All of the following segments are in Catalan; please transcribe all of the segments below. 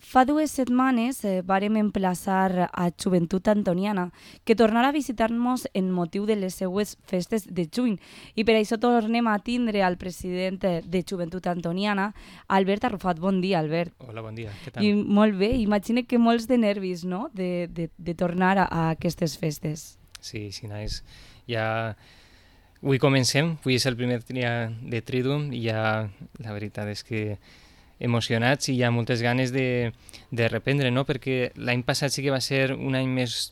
Fa 2 setmanes vàrem emplaçar a Joventut Antoniana que tornarà a visitar-nos en motiu de les seues festes de juny i per això tornem a tindre al president de Joventut Antoniana, Albert Arrufat. Bon dia, Albert. Hola, bon dia, què I tal? molt bé, imagina que molts de nervis, no?, de tornar a aquestes festes. Sí, Naix, ja avui comencem, avui és el primer dia de Triduum i ja la veritat és que emocionats i hi ha moltes ganes de reprendre, no? Perquè l'any passat sí que va ser un any més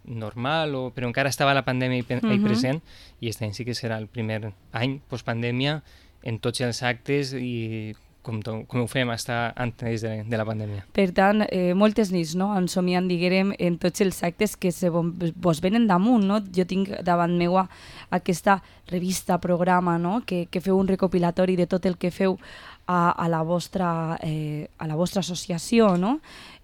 normal, però encara estava la pandèmia ahí present, i aquest any sí que serà el primer any postpandèmia en tots els actes i com ho fem estar antes de la pandèmia. Per tant, moltes nits, no?, ensomiant, diguem, en tots els actes que vos venen damunt, no? Jo tinc davant meua aquesta revista, programa, no?, que feu un recopilatori de tot el que feu a la vostra associació, no?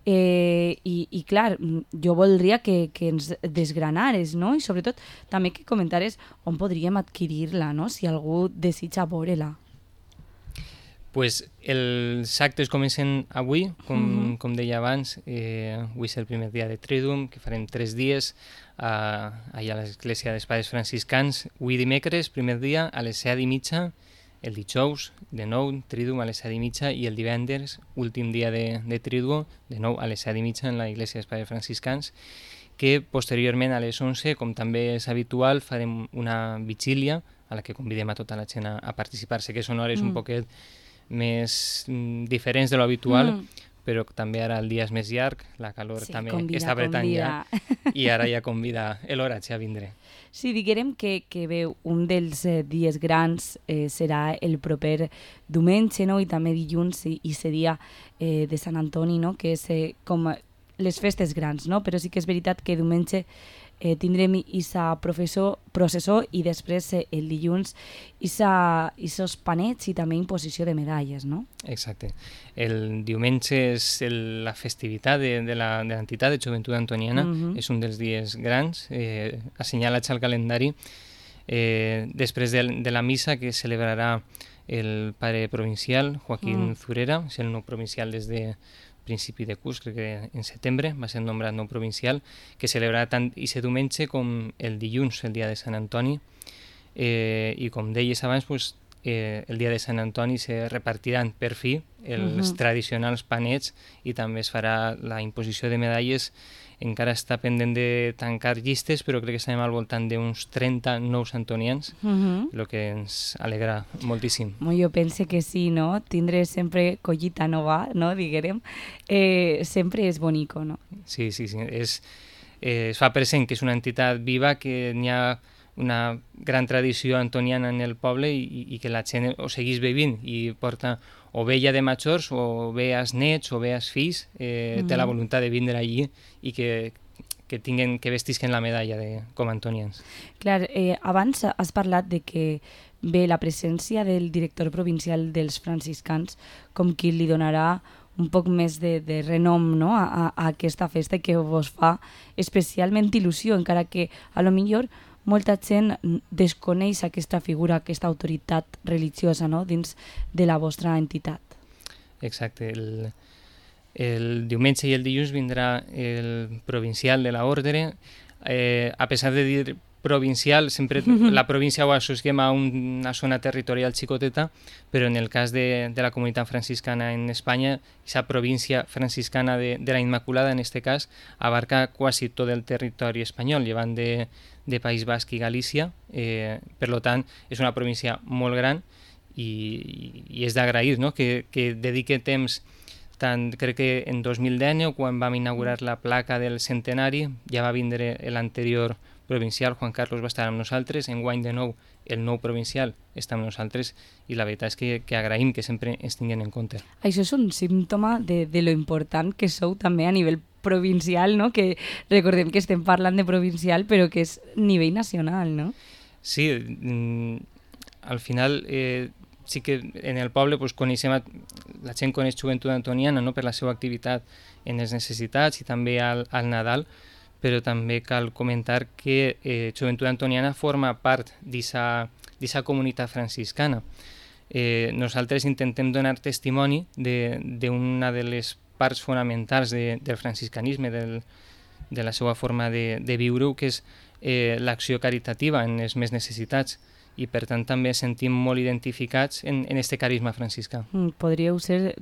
I clar, jo voldria que ens desgranares, no? I sobretot també que comentares on podríem adquirir-la, no?, si algú desitja veure-la. Pues els actes comencen avui, com deia abans, avui és el primer dia de Triduum, que farem 3 dies allà a l'església dels Pares Franciscans. Avui dimecres, primer dia, a les 7:30, el dijous, de nou, Triduum a les 7:30, i el divendres, últim dia de Triduum, de nou a les 7:30 en la església dels Pares Franciscans, que posteriorment a les 11, com també és habitual, farem una vigília a la que convidem a tota la gent a participar. Sé que són hores un poquet més diferents de lo habitual, però també ara el dia és més llarg, la calor també està apretant ja, i ara ja convida l'oratge a vindre. Sí, diguem que bé, un dels dies grans serà el proper diumenge, no?, i també dilluns i seria de Sant Antoni, no?, que és com les festes grans, no?, però sí que és veritat que diumenge tindrem aquesta processó i després el dilluns aquests panets i també imposició de medalles, no? Exacte. El diumenge és la festivitat de l'entitat de Joventut Antoniana, és un dels dies grans, assenyalats al calendari, després de la missa que celebrarà el pare provincial, Joaquín Zurera, és el nou provincial des de principi de curs, crec que en setembre va ser nombrat nou provincial, que celebrarà tant aquest diumenge com el dilluns, el dia de Sant Antoni, i com deies abans, pues, el dia de Sant Antoni se repartiran per fi els tradicionals panets i també es farà la imposició de medalles. Encara està pendent de tancar llistes, però crec que estarem al voltant d'uns 30 nous antonians, el que ens alegra moltíssim. Jo penso que sí, no? Tindre sempre collita nova, no?, diguem, sempre és bonico, no? Sí. Es fa present que és una entitat viva, que n'hi ha una gran tradició antoniana en el poble i que la gent ho segueix vivint i porta o bé ja de majors, o bé als nets, o bé als fills, té la voluntat de vindre allí i que vestisquen la medalla com a antonians. Clar, abans has parlat de que bé, la presència del director provincial dels franciscans com qui li donarà un poc més de renom, no?, a aquesta festa que vos fa especialment il·lusió, encara que a lo millor molta gent desconeix aquesta figura, aquesta autoritat religiosa, no?, dins de la vostra entitat. Exacte. El diumenge i el dilluns vindrà el provincial de l'ordre. A pesar de dir provincial, sempre la província ho associem a una zona territorial xicoteta, però en el cas de la comunitat franciscana en Espanya, aquesta província franciscana de la Immaculada, en este cas, abarca quasi tot el territori espanyol, llevant de País Basc i Galícia. Per tant, és una província molt gran i és d'agrair, no?, que dedique temps. Tant, crec que en 2010, quan vam inaugurar la placa del centenari, ja va vindre l'anterior provincial, Juan Carlos va estar amb nosaltres, enguany de nou el nou provincial està amb nosaltres, i la veritat és que agraïm que sempre ens tinguin en compte. Això és un símptoma de lo important que sou també a nivell provincial, no?, que recordem que estem parlant de provincial, però que és nivell nacional, no? Sí, al final sí que en el poble pues, coneixem, la gent coneix Joventut Antoniana, no?, per la seva activitat en les necessitats i també al Nadal, però també cal comentar que Joventut Antoniana forma part d'aquesta comunitat franciscana. nosaltres intentem donar testimoni d'una de les parts fonamentals del franciscanisme, de la seva forma de viure-ho, que és l'acció caritativa en els més necessitats, i per tant també sentim molt identificats en este carisma franciscà. Podríeu ser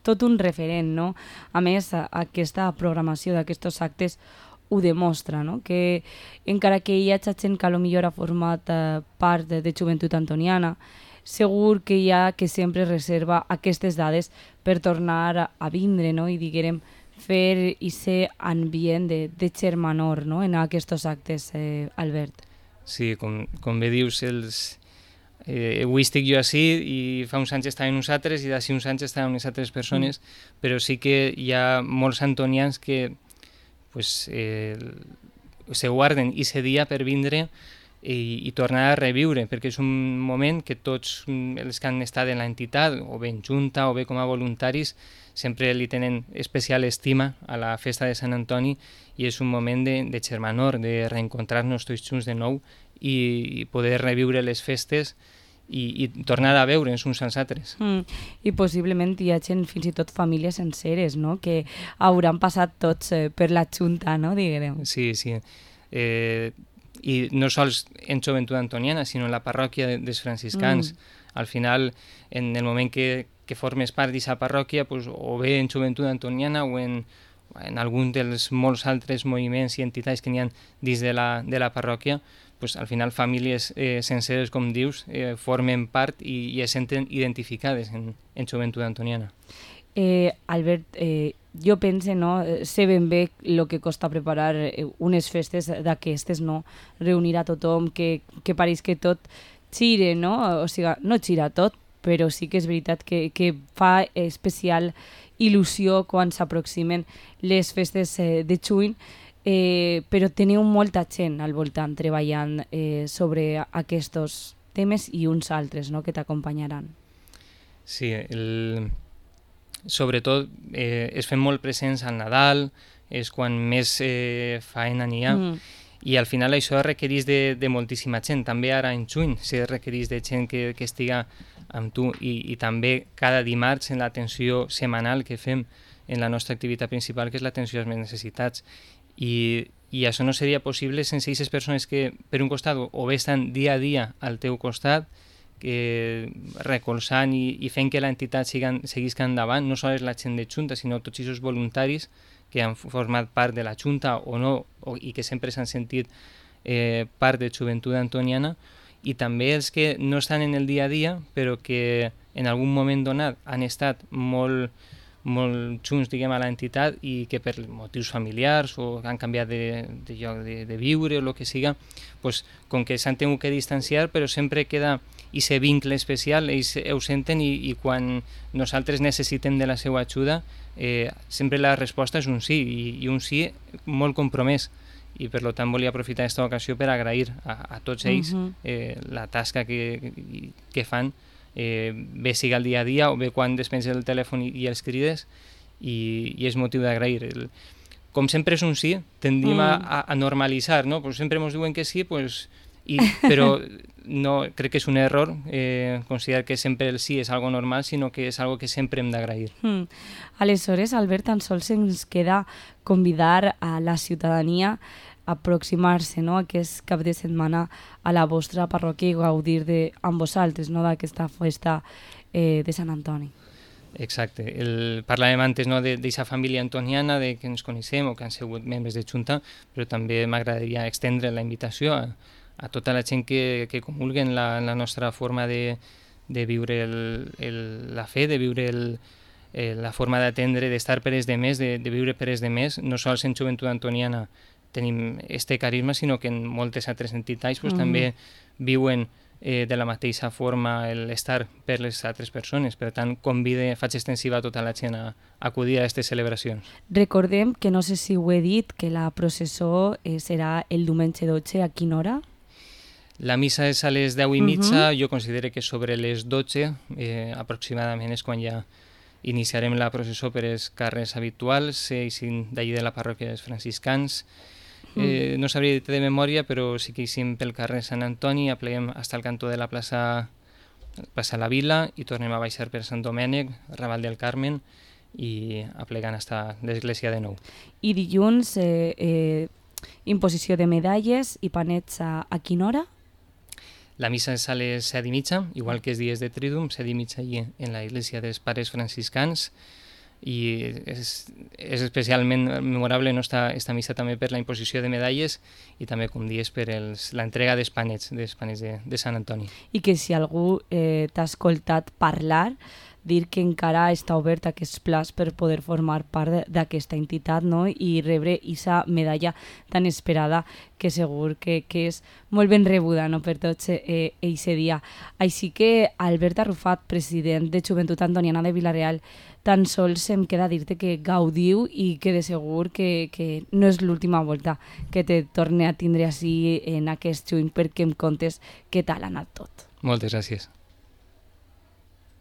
tot un referent, no? A més, aquesta programació d'aquests actes ho demostra, no? Que encara que hi ha gent que potser ha format part de Joventut Antoniana, segur que hi ha que sempre reserva aquestes dades per tornar a vindre, no? I diguem, fer aquest ambient de germanor, no? En aquests actes, Albert. Sí, com bé dius, avui estic jo així i fa uns anys estaven uns altres i d'ací uns anys estaven unes altres persones, però sí que hi ha molts antonians que pues, se guarden aquest dia per vindre i tornar a reviure, perquè és un moment que tots els que han estat en l'entitat, o bé en junta o bé com a voluntaris, sempre li tenen especial estima a la festa de Sant Antoni, i és un moment de germanor, de reencontrar-nos tots junts de nou i poder reviure les festes i tornar a veure'ns uns als altres. I possiblement hi ha gent, fins i tot famílies senceres, no? Que hauran passat tots per la junta, no? Diguem. Sí. I no sols en Joventut Antoniana, sinó en la parròquia dels franciscans. Al final, en el moment que formes part d'aquesta parròquia, pues, o bé en Joventut Antoniana o en algun dels molts altres moviments i entitats que n'hi ha dins de la parròquia, pues, al final famílies senceres, com dius, formen part i es senten identificades en Joventut Antoniana. Albert, jo pense, no, sé ben bé el que costa preparar unes festes d'aquestes, no? Reunir a tothom, que pareix que tot xire, no? O sigui, no xira tot, però sí que és veritat que fa especial il·lusió quan s'aproximen les festes de juny, però teniu molta gent al voltant treballant sobre aquests temes i uns altres, no?, que t'acompanyaran. Sí, sobretot es fem molt presents al Nadal, és quan més faena n'hi ha, i al final això requereix de moltíssima gent. També ara en juny se requereix de gent que estiga amb tu, i també cada dimarts en l'atenció setmanal que fem en la nostra activitat principal, que és l'atenció a les necessitats. I això no seria possible sense aquestes persones que, per un costat, o bé estan dia a dia al teu costat, recolzant i fent que l'entitat seguisca endavant, no sols la gent de Junta, sinó tots aquests voluntaris que han format part de la Junta o no, i que sempre s'han sentit part de Joventut Antoniana, i també els que no estan en el dia a dia, però que en algun moment donat han estat molt junts, diguem, a l'entitat, i que per motius familiars o han canviat de lloc de viure o el que siga, pues, com que s'han tingut que distanciar, però sempre queda aquest vincle especial, ells ho senten, i quan nosaltres necessitem de la seva ajuda, sempre la resposta és un sí, i un sí molt compromès. I per tant volia aprofitar aquesta ocasió per agrair a tots ells la tasca que fan, bé siga el dia a dia o bé quan despenses el telèfon i els crides, i és motiu d'agrair. Com sempre és un sí, tendim a normalitzar, no? Pues sempre ens diuen que sí, pues, però no, crec que és un error considerar que sempre el sí és algo normal, sinó que és algo que sempre hem d'agrair. Aleshores, Albert, tan sols ens queda convidar a la ciutadania a aproximar-se, no, aquest cap de setmana a la vostra parròquia i gaudir amb vosaltres, no, d'aquesta festa de Sant Antoni. Exacte. Parlàvem antes, no, d'aquesta família antoniana que ens coneixem o que han sigut membres de Junta, però també m'agradaria extendre la invitació a tota la gent que comulgui en la nostra forma de viure la fe, de viure la forma d'atendre, d'estar per els demés, de viure per els demés. No sols en Joventut Antoniana tenim este carisma, sinó que en moltes altres entitats també viuen de la mateixa forma l'estar per les altres persones. Per tant, faig extensiva a tota la gent a acudir a aquestes celebracions. Recordem que, no sé si ho he dit, que la processó serà el diumenge 12, a quina hora? La missa és a les 10:30, jo considero que sobre les 12 aproximadament és quan ja iniciarem la processó per els carrers habituals, d'allí de la parròquia dels franciscans. No sabria dir de memòria, però sí que eixim pel carrer Sant Antoni, apleguem fins al cantó de la plaça passar la Vila i tornem a baixar per Sant Domènec, Raval del Carmen i aplegant fins a l'església de nou. I dilluns, imposició de medalles i panets a quina hora? La missa és a les 7:30, igual que els dies de Trídum, 7:30 allí en la Iglesia dels Pares Franciscans, i és especialment memorable, no, esta missa també per la imposició de medalles i també, com dius, per l'entrega dels panets de Sant Antoni. I que si algú t'ha escoltat parlar, dir que encara està obert aquests plats per poder formar part d'aquesta entitat, no? I rebre aquesta medalla tan esperada que segur que és molt ben rebuda, no? Per tots aquest dia. Així que Albert Arrufat, president de Joventut Antoniana de Vila-real, tan sols em queda dir-te que gaudiu i que de segur que no és l'última volta que te torne a tindre així en aquest juny perquè em contes què tal ha anat tot. Moltes gràcies.